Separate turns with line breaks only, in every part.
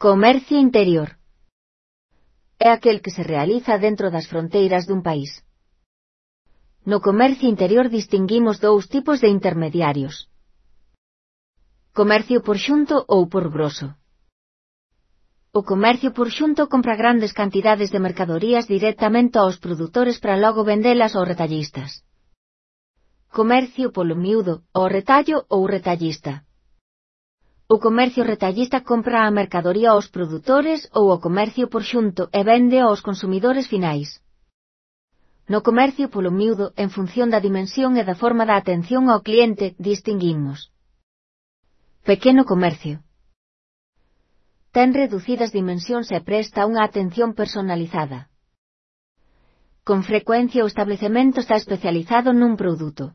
Comercio interior. É aquel que se realiza dentro das fronteiras dun país. No comercio interior distinguimos dous tipos de intermediarios. Comercio por xunto ou por grosso. O comercio por xunto compra grandes cantidades de mercadorías directamente aos produtores para logo vendelas aos retallistas. Comercio polo miúdo, ao retallo ou retallista. O comercio retallista compra a mercadoría aos produtores ou o comercio por xunto e vende aos consumidores finais. No comercio polo miúdo, en función da dimensión e da forma da atención ao cliente, distinguimos. Pequeno comercio. Ten reducidas dimensións e presta unha atención personalizada. Con frecuencia o establecemento está especializado nun produto.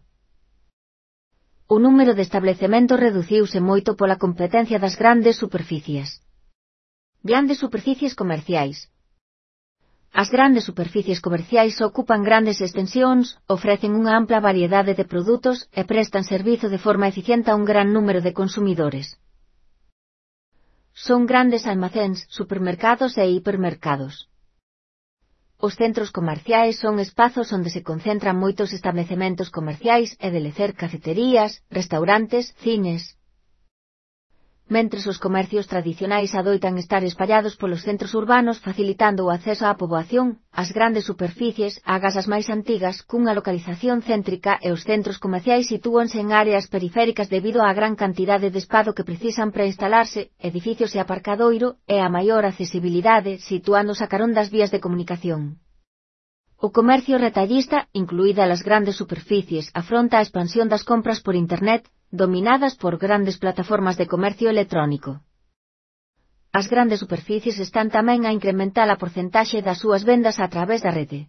O número de establecementos reduciuse moito pola competencia das grandes superficies. Grandes superficies comerciais. As grandes superficies comerciais ocupan grandes extensións, ofrecen unha ampla variedade de produtos e prestan servizo de forma eficiente a un gran número de consumidores. Son grandes almacéns, supermercados e hipermercados. Os centros comerciais son espazos onde se concentran moitos establecementos comerciais e de lecer cafeterías, restaurantes, cines. Mentres os comercios tradicionais adoitan estar espallados polos centros urbanos facilitando o acceso á poboación, as grandes superficies, agás as máis antigas, cunha localización céntrica e os centros comerciais sitúanse en áreas periféricas debido á gran cantidade de espazo que precisan para instalarse, edificios e aparcadoiro, e a maior accesibilidade situándose a carón das vías de comunicación. O comercio retallista, incluída as grandes superficies, afronta a expansión das compras por Internet, dominadas por grandes plataformas de comercio electrónico. As grandes superficies están tamén a incrementar a porcentaxe das súas vendas a través da rede.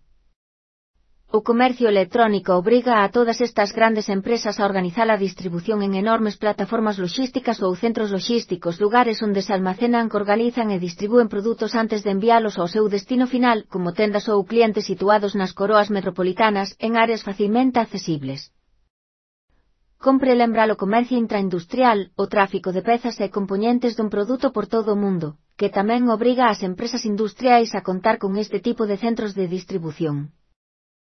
O comercio electrónico obriga a todas estas grandes empresas a organizar a distribución en enormes plataformas logísticas ou centros logísticos, lugares onde se almacenan, organizan e distribúen produtos antes de enviálos ao seu destino final, como tendas ou clientes situados nas coroas metropolitanas, en áreas facilmente accesibles. Compre lembrar o comercio intraindustrial, o tráfico de pezas e compoñentes dun produto por todo o mundo, que tamén obriga ás empresas industriais a contar con este tipo de centros de distribución.